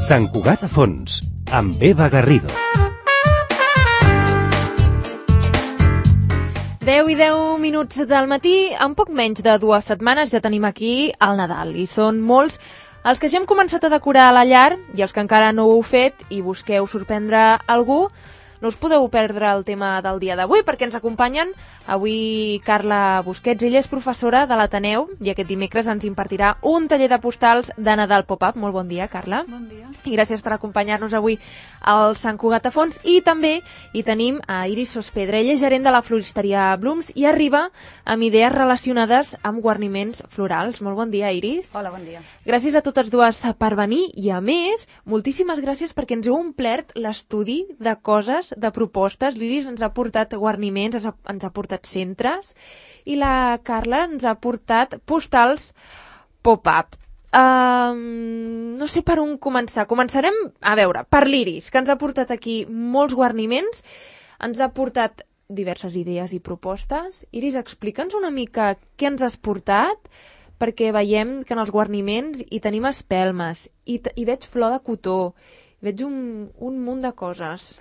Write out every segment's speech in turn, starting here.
Sant Cugat a fons, amb Eva Garrido. 10 i 10 minuts del matí, en poc menys de 2 setmanes ja tenim aquí el Nadal i són molts els que ja hem començat a decorar la llar i els que encara no ho heu fet i busqueu sorprendre algú. No us podeu perdre el tema del dia d'avui perquè ens acompanyen avui Carla Busquets. Ella és professora de l'Ateneu i aquest dimecres ens impartirà un taller de postals de Nadal Pop-Up. Molt bon dia, Carla. Bon dia. I gràcies per acompanyar-nos avui al Sant Cugat a fons. I també hi tenim a Iris Sospedra. Ella és gerent de la floristeria Blooms i arriba amb idees relacionades amb guarniments florals. Molt bon dia, Iris. Hola, bon dia. Gràcies a totes dues per venir i, a més, moltíssimes gràcies perquè ens heu omplert l'estudi de coses, de propostes. L'Iris ens ha portat guarniments, ens ha portat centres i la Carla ens ha portat postals pop-up. No sé per on començar. Començarem, a veure, per l'Iris, que ens ha portat aquí molts guarniments, ens ha portat diverses idees i propostes. Iris, explica'ns una mica què ens has portat, perquè veiem que en els guarniments hi tenim espelmes, i veig flor de cotó, veig un munt de coses.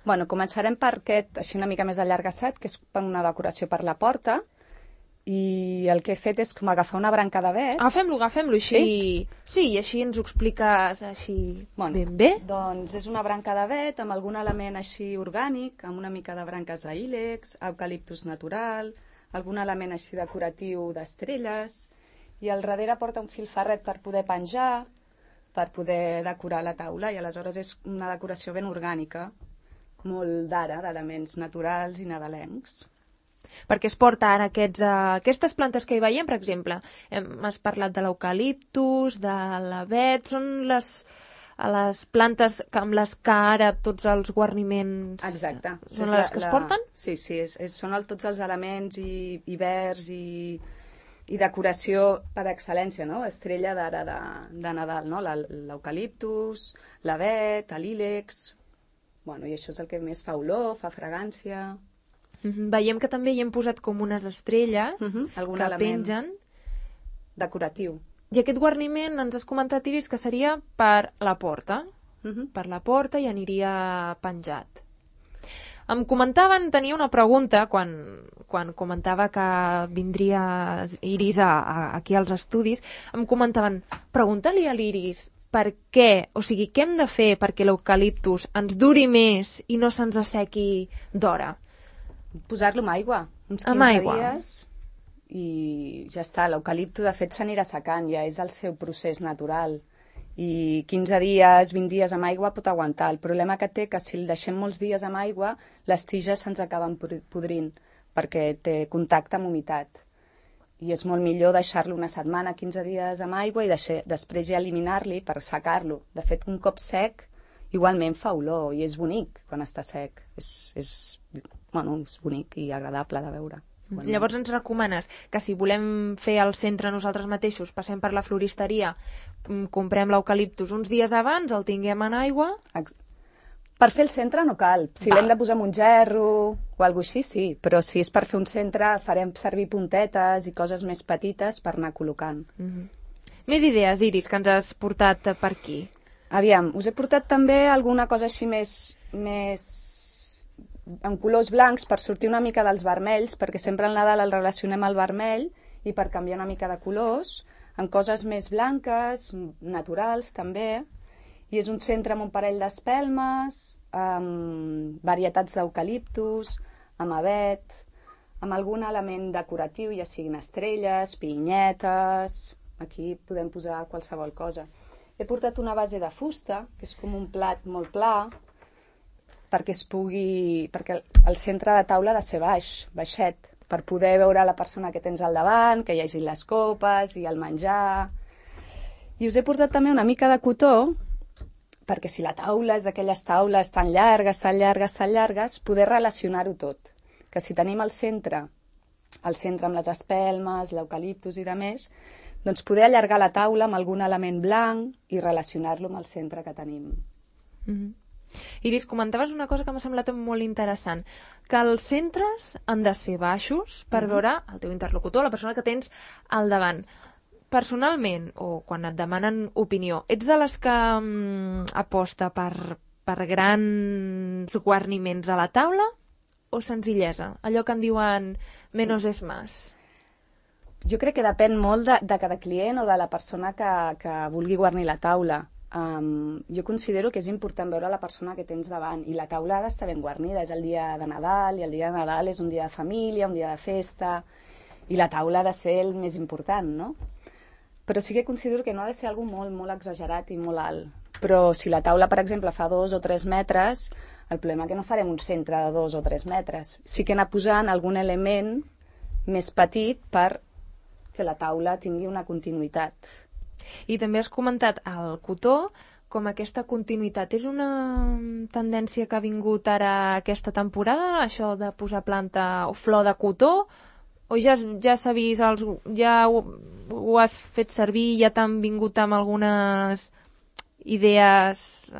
Bueno, començarem per aquest, així una mica més allargassat, que és per una decoració per la porta, i el que he fet és com agafar una branca d'avet. Agafem-lo així. Sí, i així ens ho expliques així ben bé. Doncs és una branca d'avet amb algun element així orgànic, amb una mica de branques d'ílex, eucaliptus natural, algun element així decoratiu d'estrelles, i al darrere porta un fil ferret per poder penjar, per poder decorar la taula, i aleshores és una decoració ben orgànica, molt d'ara, d'elements naturals i nadalencs. Perquè es porta ara aquestes plantes que hi veiem, per exemple, has parlat de l'eucaliptus, de l'avet, són les plantes amb les que ara tots els guarniments... Exacte. Són les que es porten? Sí, són tots els elements i verds i decoració per excel·lència, no? Estrella d'ara de Nadal, no? L'eucaliptus, l'avet, l'ílex... Bueno, i això és el que més fa olor, fa fragància... Veiem que també hi hem posat com unes estrelles que pengen. Decoratiu. I aquest guarniment ens has comentat, Iris, que seria per la porta. Per la porta i aniria penjat. Em comentaven, tenia una pregunta quan comentava que vindria Iris aquí als estudis, em comentaven, pregunta-li a l'Iris per què, o sigui, què hem de fer perquè l'eucaliptus ens duri més i no se'ns assequi d'hora? Posar-lo amb aigua, uns 15 dies, i ja està. L'eucalipto, de fet, s'anirà secant, ja és el seu procés natural. I 15 dies, 20 dies amb aigua pot aguantar. El problema que té que si el deixem molts dies amb aigua, les tiges se'ns acaben podrint, perquè té contacte amb humitat. I és molt millor deixar-lo una setmana, 15 dies amb aigua, i després ja eliminar-li per secar-lo. De fet, un cop sec, igualment fa olor, i és bonic quan està sec. És bonic i agradable de veure. Llavors ens recomanes que si volem fer al centre nosaltres mateixos, passem per la floristeria, comprem l'eucaliptus uns dies abans, el tinguem en aigua... Per fer el centre no cal. Si l'hem de posar en un gerro o alguna cosa així, sí. Però si és per fer un centre, farem servir puntetes i coses més petites per anar col·locant. Més idees, Iris, que ens has portat per aquí? Aviam, us he portat també alguna cosa així més en colors blancs per sortir una mica dels vermells, perquè sempre al Nadal el relacionem al vermell, i per canviar una mica de colors, en coses més blanques, naturals també, i és un centre amb un parell d'espelmes, amb varietats d'eucaliptus, amb avet, amb algun element decoratiu, ja siguin estrelles, pinyetes, aquí podem posar qualsevol cosa. He portat una base de fusta, que és com un plat molt pla, perquè el centre de taula ha de ser baixet, per poder veure la persona que tens al davant, que hi hagi les copes i el menjar. I us he portat també una mica de cotó, perquè si la taula és d'aquelles taules tan llargues, poder relacionar-ho tot. Que si tenim el centre amb les espelmes, l'eucaliptus i demés, doncs poder allargar la taula amb algun element blanc i relacionar-lo amb el centre que tenim. Iris, comentaves una cosa que m'ha semblat molt interessant, que els centres han de ser baixos per veure el teu interlocutor, la persona que tens al davant. personalment, o quan et demanen opinió, ets de les que aposta per grans guarniments a la taula o senzillesa? Allò que en diuen menos es más. Jo crec que depèn molt de cada client o de la persona que vulgui guarnir la taula. Jo considero que és important veure la persona que tens davant i la taula ha d'estar ben guarnida. És el dia de Nadal i el dia de Nadal és un dia de família, un dia de festa i la taula ha de ser el més important, no? Però sí que considero que no ha de ser algo molt, molt exagerat i molt alt. Però si la taula, per exemple, fa 2 o 3 metres, el problema és que no farem un centre de 2 o 3 metres. Sí que anar posant algun element més petit per que la taula tingui una continuïtat. I també has comentat el cotó com aquesta continuïtat. És una tendència que ha vingut ara aquesta temporada, això de posar planta o flor de cotó, o ja s'ha vist, ja ho has fet servir, ja t'han vingut amb algunes idees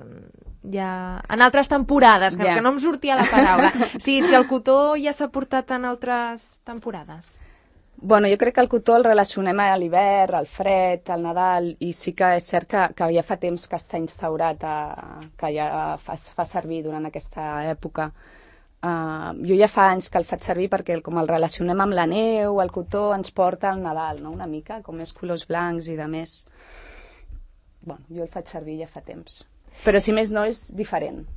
ja en altres temporades, que no em sortia la paraula. Sí, si el cotó ja s'ha portat en altres temporades. Bueno, jo crec que el cotó el relacionem a l'hivern, al fred, al Nadal, i sí que és cert que ja fa temps que està instaurat, que ja fa servir durant aquesta època. Jo ja fa anys que el faig servir perquè com el relacionem amb la neu, el cotó ens porta al Nadal, no? Una mica, com més colors blancs i de més. Bueno, jo el faig servir ja fa temps. Però si més no és diferent.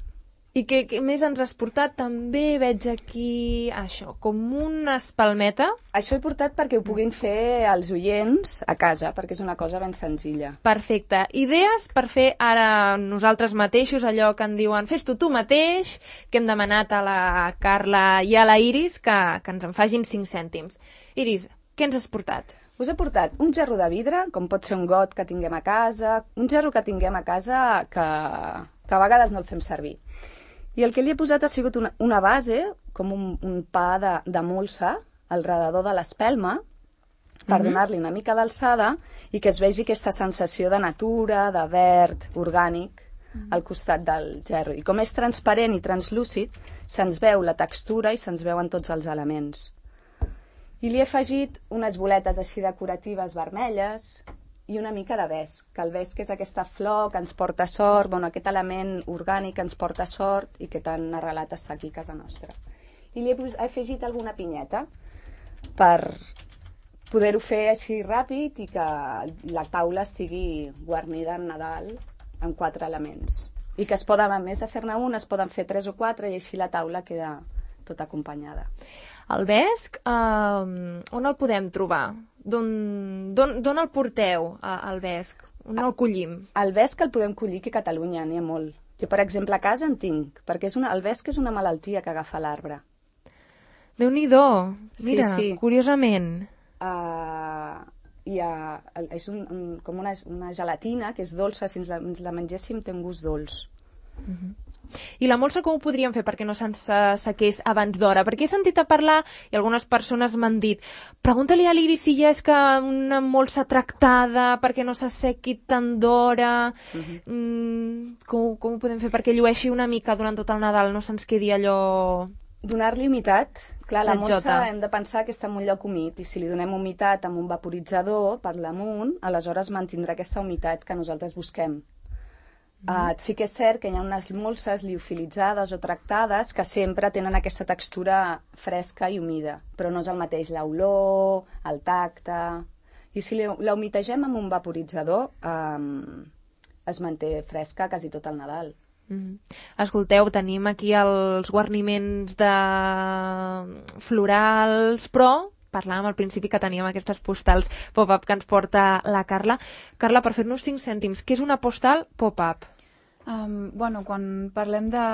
I què més ens has portat? També veig aquí això, com una espalmeta. Això he portat perquè ho puguin fer els oients a casa, perquè és una cosa ben senzilla. Perfecte. Idees per fer ara nosaltres mateixos, allò que en diuen fes-t'ho tu mateix, que hem demanat a la Carla i a la Iris que ens en facin 5 cèntims. Iris, què ens has portat? Us he portat un gerro de vidre, com pot ser un got que tinguem a casa, un gerro que tinguem a casa que a vegades no el fem servir. I el que li he posat ha sigut una base, com un pa de molsa, al redador de l'espelma, per donar-li una mica d'alçada i que es vegi aquesta sensació de natura, de verd, orgànic, al costat del gerro. I com és transparent i translúcid, se'ns veu la textura i se'ns veuen tots els elements. I li he afegit unes boletes així decoratives vermelles i una mica de vesc, que el vesc és aquesta flor que ens porta sort, bueno, aquest element orgànic que ens porta sort i que tan arrelat està aquí a casa nostra. I li he afegit alguna pinyeta per poder-ho fer així ràpid i que la taula estigui guarnida en Nadal amb 4 elements. I que es poden, a més de fer-ne un, es poden fer 3 o 4 i així la taula queda tota acompanyada. El vesc, on el podem trobar? D'on el porteu, el vesc? On el collim? El vesc el podem collir aquí a Catalunya, n'hi ha molt. Jo, per exemple, a casa en tinc, perquè el vesc és una malaltia que agafa l'arbre. Déu-n'hi-do! Mira, sí. Curiosament. És com una gelatina que és dolça, si ens la mengéssim té un gust dolç. I la molsa com ho podríem fer perquè no se'ns sequés abans d'hora? Perquè he sentit a parlar i algunes persones m'han dit pregunta-li a l'Iris si ja és que una molsa tractada perquè no s'assequi tant d'hora. Com ho podem fer perquè llueixi una mica durant tot el Nadal, no se'ns quedi allò... Donar-li humitat. Clar, la molsa hem de pensar que està en un lloc humit i si li donem humitat amb un vaporitzador per damunt, aleshores mantindrà aquesta humitat que nosaltres busquem. Sí que és cert que hi ha unes molses liofilitzades o tractades que sempre tenen aquesta textura fresca i humida, però no és el mateix l'olor, el tacte... I si la humitegem amb un vaporitzador es manté fresca quasi tot el Nadal. Escolteu, tenim aquí els guarniments de florals, però parlàvem al principi que teníem aquestes postals pop-up que ens porta la Carla. Carla, per fer-nos 5 cèntims, què és una postal pop-up? Quan parlem de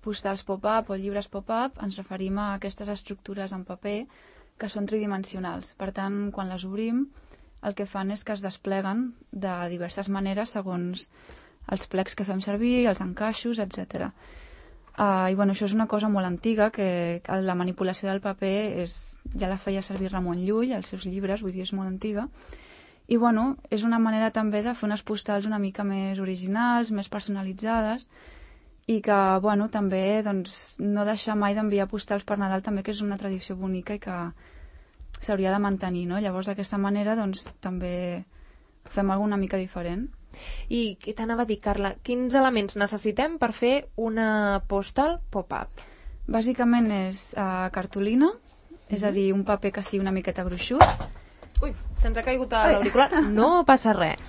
postals pop-up o llibres pop-up, ens referim a aquestes estructures en paper que són tridimensionals. Per tant, quan les obrim, el que fan és que es despleguen de diverses maneres segons els plecs que fem servir, els encaixos, etc. Això és una cosa molt antiga, que la manipulació del paper ja la feia servir Ramon Llull als seus llibres, vull dir, és molt antiga. I és una manera també de fer unes postals una mica més originals, més personalitzades, i que també no deixar mai d'enviar postals per Nadal també, que és una tradició bonica i que s'hauria de mantenir, no? Llavors, d'aquesta manera, doncs, també fem alguna mica diferent. I què t'anava a dir, Carla? Quins elements necessitem per fer una postal pop-up? Bàsicament és cartolina, és a dir, un paper que sigui una miqueta gruixut. Ui, se'ns ha caigut a l'auricular. No passa res.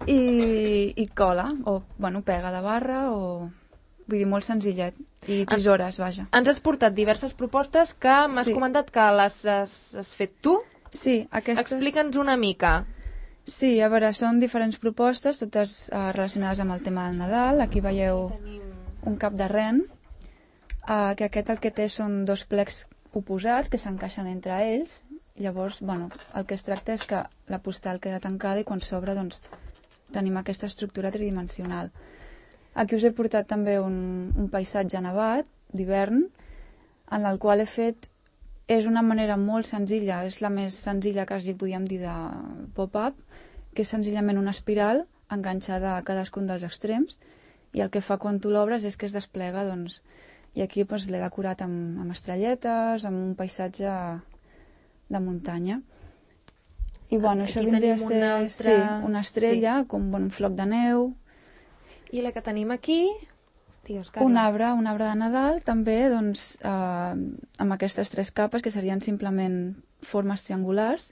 I cola, o, bueno, pega de barra, o... Vull dir, molt senzillet. I tisores, vaja. Ens has portat diverses propostes que m'has comentat que les has fet tu. Sí, aquestes... Explica'ns una mica. Sí, a veure, són diferents propostes, totes relacionades amb el tema del Nadal. Aquí veieu un cap de ren, que aquest el que té són dos plecs oposats que s'encaixen entre ells. Llavors, bueno, el que es tracta és que la postal queda tancada i quan s'obre, doncs, tenim aquesta estructura tridimensional. Aquí us he portat també un paisatge nevat d'hivern, en el qual he fet... És una manera molt senzilla, és la més senzilla que quasi podíem dir de pop-up, que és senzillament una espiral enganxada a cadascun dels extrems, i el que fa quan tu l'obres és que es desplega, doncs, i aquí doncs, l'he decorat amb estrelletes, amb un paisatge de muntanya. I bueno, això vindria a ser una estrella, com un floc de neu. I la que tenim aquí... Digues, un arbre de Nadal, també, doncs, amb aquestes tres capes, que serien simplement formes triangulars,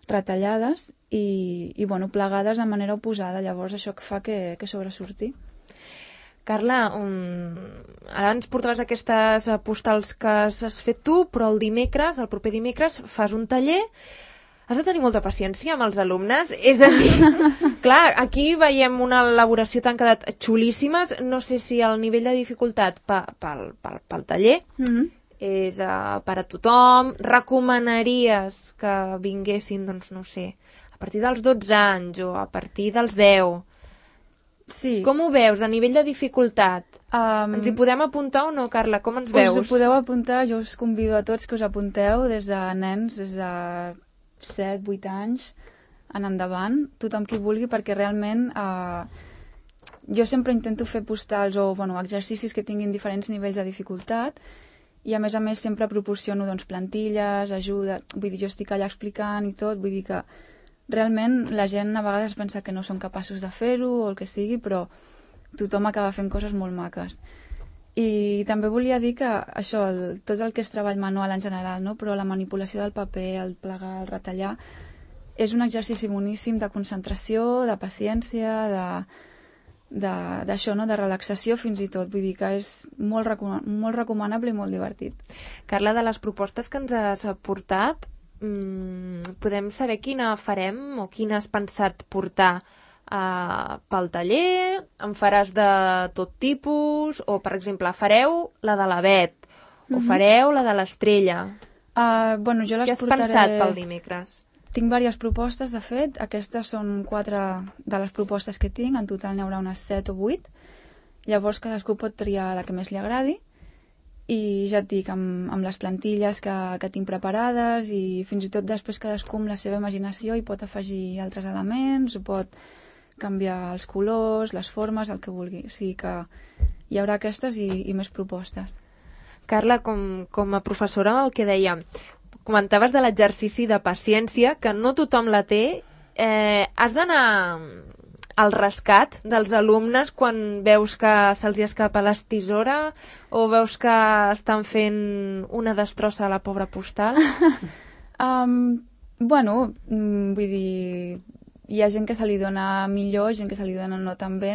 retallades i bueno, plegades de manera oposada. Llavors, això fa que sobresurti. Carla, ara ens portaves aquestes postals que has fet tu, però el proper dimecres, fas un taller. Has de tenir molta paciència amb els alumnes. És a dir, clar, aquí veiem una elaboració tan quedat xulíssimes. No sé si el nivell de dificultat pel taller és per a tothom. Recomanaries que vinguessin, doncs no sé, a partir dels 12 anys o a partir dels 10? Sí. Com ho veus a nivell de dificultat? Ens hi podem apuntar o no, Carla? Com ens veus? Us ho podeu apuntar, jo us convido a tots que us apunteu, des de nens, des de 7, 8 anys en endavant, tothom qui vulgui, perquè realment jo sempre intento fer postals o exercicis que tinguin diferents nivells de dificultat i a més sempre proporciono doncs, plantilles, ajuda, vull dir, jo estic allà explicant i tot, vull dir que realment la gent a vegades pensa que no són capaços de fer-ho o el que sigui, però tothom acaba fent coses molt maques. I també volia dir que això, tot el que és treball manual en general, no? Però la manipulació del paper, el plegar, el retallar, és un exercici boníssim de concentració, de paciència, d'això, no? De relaxació fins i tot. Vull dir que és molt recomanable i molt divertit. Carla, de les propostes que ens has portat, podem saber quina farem o quina has pensat portar pel taller? En faràs de tot tipus? O, per exemple, fareu la de l'avet? O fareu la de l'estrella? Jo les Què has portaré... pensat pel dimecres? Tinc diverses propostes, de fet. Aquestes són 4 de les propostes que tinc. En total n'hi haurà unes 7 o 8. Llavors cadascú pot triar la que més li agradi. I ja et dic, amb les plantilles que tinc preparades i fins i tot després cadascú amb la seva imaginació hi pot afegir altres elements, o pot canviar els colors, les formes, el que vulgui. O sigui que hi haurà aquestes i més propostes. Carla, com a professora, el que deia, comentaves de l'exercici de paciència, que no tothom la té. Has d'anar al rescat dels alumnes quan veus que se'ls escapa l'estisora o veus que estan fent una destrossa a la pobra postal? Vull dir... Hi ha gent que se li dona millor, gent que se li dona no tan bé.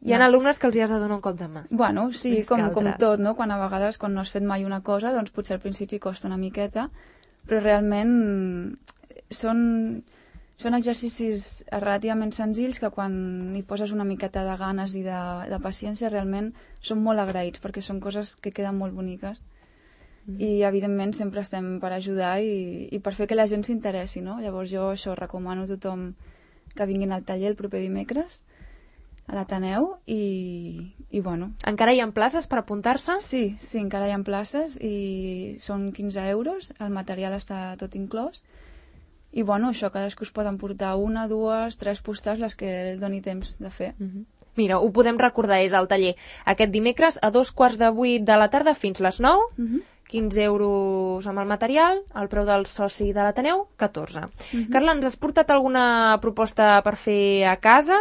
Hi ha alumnes que els hi has de donar un cop de mà. Bueno, sí, com tot, no? Quan a vegades, quan no has fet mai una cosa, doncs potser al principi costa una miqueta, però realment són exercicis relativament senzills que quan hi poses una miqueta de ganes i de paciència realment són molt agraïts, perquè són coses que queden molt boniques. I evidentment sempre estem per ajudar i per fer que la gent s'interessi, no? Llavors jo això recomano a tothom que vinguin al taller el proper dimecres a l'Ateneu i bueno. Encara hi ha places per apuntar-se? Sí, encara hi ha places i són 15 euros, el material està tot inclòs i bueno, això cadascú es pot emportar 1, 2, 3 postals, les que doni temps de fer. Mira, ho podem recordar, és el taller aquest dimecres a 7:15 de la tarda fins les 9 15 euros amb el material, el preu del soci de l'Ateneu, 14. Carla, ens has portat alguna proposta per fer a casa?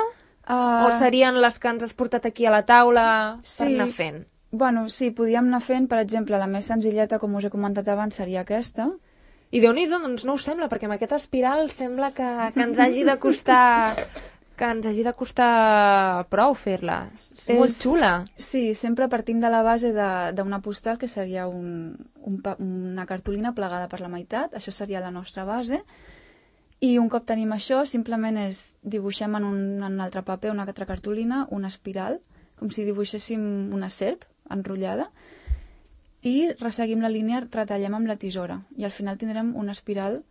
O serien les que ens has portat aquí a la taula per anar fent? Bueno, sí, podríem anar fent, per exemple, la més senzilleta, com us he comentat abans, seria aquesta. I Déu-n'hi-do, doncs no ho sembla, perquè amb aquesta espiral sembla que ens hagi de costar... que ens hagi de costar prou fer-la. És molt xula. Sí, sempre partim de la base d'una postal que seria una cartolina plegada per la meitat, això seria la nostra base, i un cop tenim això, simplement dibuixem en un altre paper, una altra cartolina, una espiral, com si dibuixéssim una serp enrotllada, i resseguim la línia, retallem amb la tisora, i al final tindrem una espiral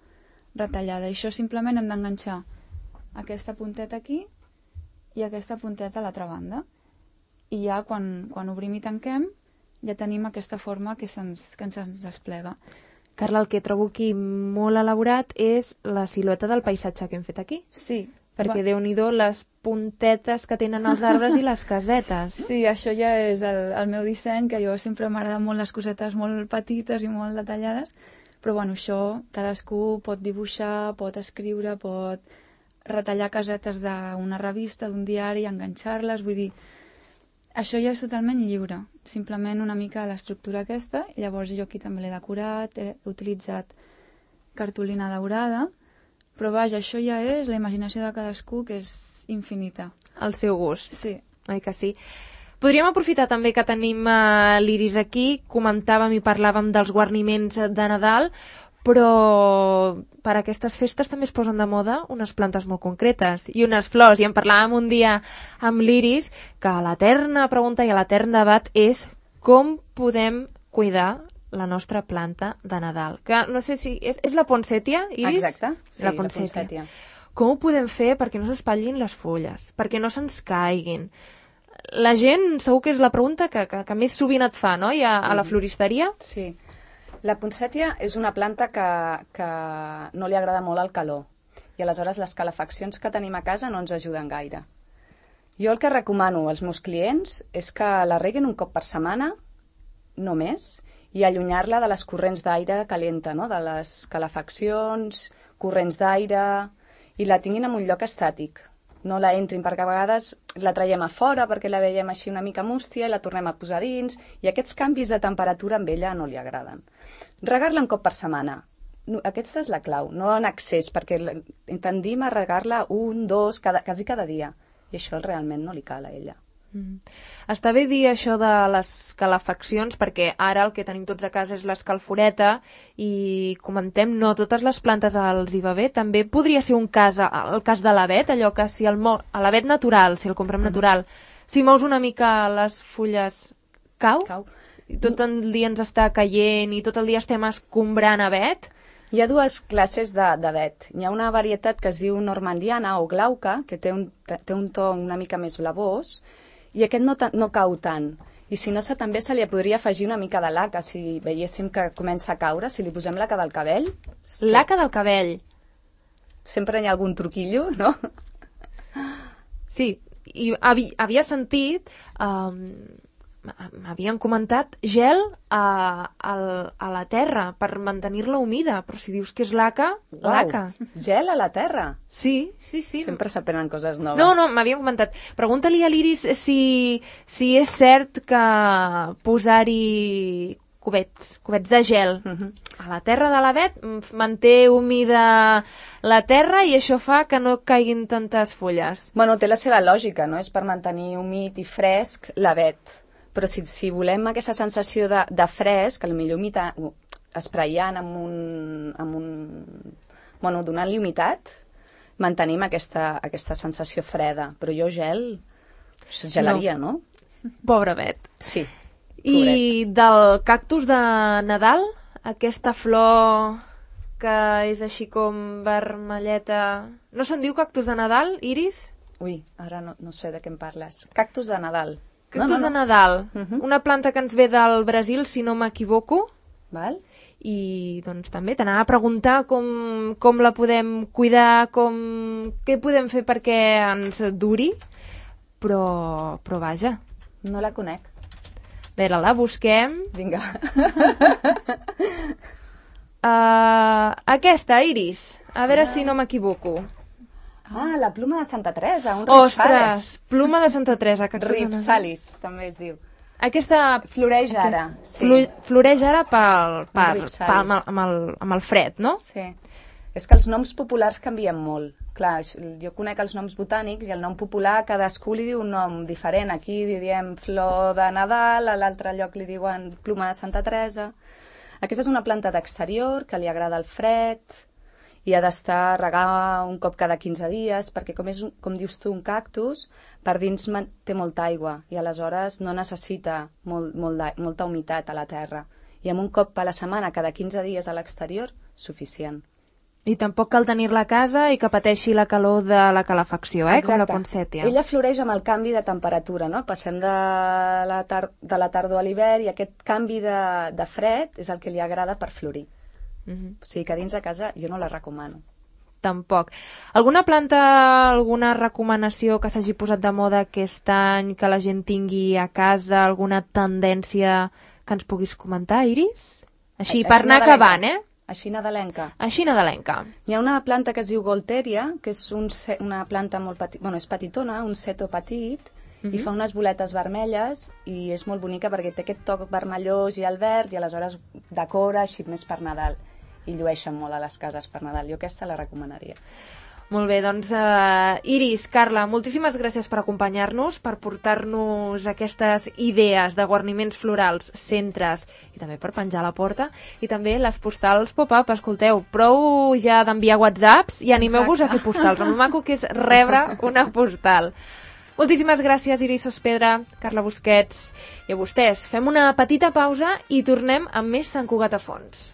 retallada. I això simplement hem d'enganxar aquesta punteta aquí i aquesta punteta a l'altra banda. I ja quan obrim i tanquem ja tenim aquesta forma que ens desplega. Carla, el que trobo aquí molt elaborat és la silueta del paisatge que hem fet aquí. Sí. Perquè Déu-n'hi-do les puntetes que tenen els arbres i les casetes. Sí, això ja és el meu disseny, que jo sempre m'agrada molt les cosetes molt petites i molt detallades, però bueno, això cadascú pot dibuixar, pot escriure, pot retallar casetes d'una revista, d'un diari, enganxar-les, vull dir, això ja és totalment lliure, simplement una mica l'estructura aquesta, i llavors jo aquí també l'he decorat, he utilitzat cartolina daurada, però vaja, això ja és la imaginació de cadascú, que és infinita. El seu gust. Sí. Oi que sí? Podríem aprofitar també que tenim l'Iris aquí, comentàvem i parlàvem dels guarniments de Nadal, però per aquestes festes també es posen de moda unes plantes molt concretes i unes flors, i en parlàvem un dia amb l'Iris, que l'eterna pregunta i l'etern debat és com podem cuidar la nostra planta de Nadal. Que no sé si... És la poncètia, Iris? Exacte, sí, la poncètia. Com ho podem fer perquè no s'espatllin les fulles, perquè no se'ns caiguin? La gent segur que és la pregunta que més sovint et fa, no? I a la floristeria? Sí. La poncètia és una planta que no li agrada molt el calor i aleshores les calefaccions que tenim a casa no ens ajuden gaire. Jo el que recomano als meus clients és que la reguin un cop per setmana, no més, i allunyar-la de les corrents d'aire calenta, no? De les calefaccions, corrents d'aire, i la tinguin en un lloc estàtic. No la entrin, perquè a vegades la traiem a fora perquè la veiem així una mica mústia i la tornem a posar dins, i aquests canvis de temperatura amb ella no li agraden. Regar-la un cop per setmana. Aquesta és la clau, no en excés, perquè tendim a regar-la 1, 2, quasi cada dia, i això realment no li cal a ella. Està bé dir això de les calefaccions, perquè ara el que tenim tots a casa és l'escalforeta i comentem, no totes les plantes els hi va bé. També podria ser un cas, el cas de l'avet, allò que si l'avet natural, si el comprem natural, si mous una mica les fulles cau. I tot el dia ens està caient i tot el dia estem escombrant avet. Hi ha dues classes d'avet. Hi ha una varietat que es diu normandiana o glauca, que té un to una mica més blavós, i aquest no cau tant. I si no, també se li podria afegir una mica de laca, si veiéssim que comença a caure, si li posem laca del cabell. Laca del cabell. Sempre hi ha algun truquillo, no? Sí, i havia sentit... m'havien comentat gel a la terra per mantenir-la humida, però si dius que és laca, laca. Gel a la terra? Sí. Sempre s'aprenen coses noves. No, m'havien comentat. Pregunta-li a l'Iris si és cert que posar-hi cubets de gel a la terra de l'avet manté humida la terra i això fa que no caiguin tantes fulles. Bueno, té la seva lògica, no? És per mantenir humit i fresc l'avet. Però si volem aquesta sensació de fresc, potser espraiant bueno, donant-li humitat, mantenim aquesta sensació freda. Però jo gelaria, no? Pobre avet. Sí. I del cactus de Nadal, aquesta flor que és així com vermelleta... No se'n diu cactus de Nadal, Iris? Ui, ara no sé de què em parles. Cactus de Nadal. Cactus de Nadal, una planta que ens ve del Brasil, si no m'equivoco. Val. I doncs també t'anava a preguntar com la podem cuidar, què podem fer perquè ens duri, però vaja. No la conec. veure, la busquem. Vinga. Aquesta, Iris. A veure si no m'equivoco. Ah, la pluma de Santa Teresa, un Ostres, ripsalis. pluma de Santa Teresa. Ripsalis, també es diu. Aquesta Floreix ara, sí. Floreix ara ripsalis. amb el fred, no? Sí. És que els noms populars canvien molt. Clar, jo conec els noms botànics i el nom popular cadascú li diu un nom diferent. Aquí li diem flor de Nadal, a l'altre lloc li diuen pluma de Santa Teresa. Aquesta és una planta d'exterior que li agrada el fred i ha d'estar regar un cop cada 15 dies, perquè com dius tu, un cactus, per dins té molta aigua i aleshores no necessita molta humitat a la terra. I amb un cop a la setmana, cada 15 dies a l'exterior, suficient. I tampoc cal tenir-la a casa i que pateixi la calor de la calefacció, com la poncètia. Ella floreix amb el canvi de temperatura, no? Passem de la tardor a l'hivern i aquest canvi de fred és el que li agrada per florir. O sigui que dins de casa jo no la recomano. Tampoc. Alguna planta, alguna recomanació que s'hagi posat de moda aquest any, que la gent tingui a casa, alguna tendència que ens puguis comentar, Iris? Així, per anar acabant, Així nadalenca. Així nadalenca. Hi ha una planta que es diu Golteria, que és una planta molt petita, bueno, és petitona, un seto petit, i fa unes boletes vermelles i és molt bonica perquè té aquest toc vermellós i el verd i aleshores decora així més per Nadal i llueixen molt a les cases per Nadal. Jo aquesta la recomanaria. Molt bé, doncs Iris, Carla, moltíssimes gràcies per acompanyar-nos, per portar-nos aquestes idees de guarniments florals, centres i també per penjar a la porta, i també les postals pop-up. Escolteu, prou ja d'enviar whatsapps i animeu-vos a fer postals. El maco que és rebre una postal. Moltíssimes gràcies, Iris Sospedra, Carla Busquets, i a vostès. Fem una petita pausa i tornem amb més Sant Cugat a fons.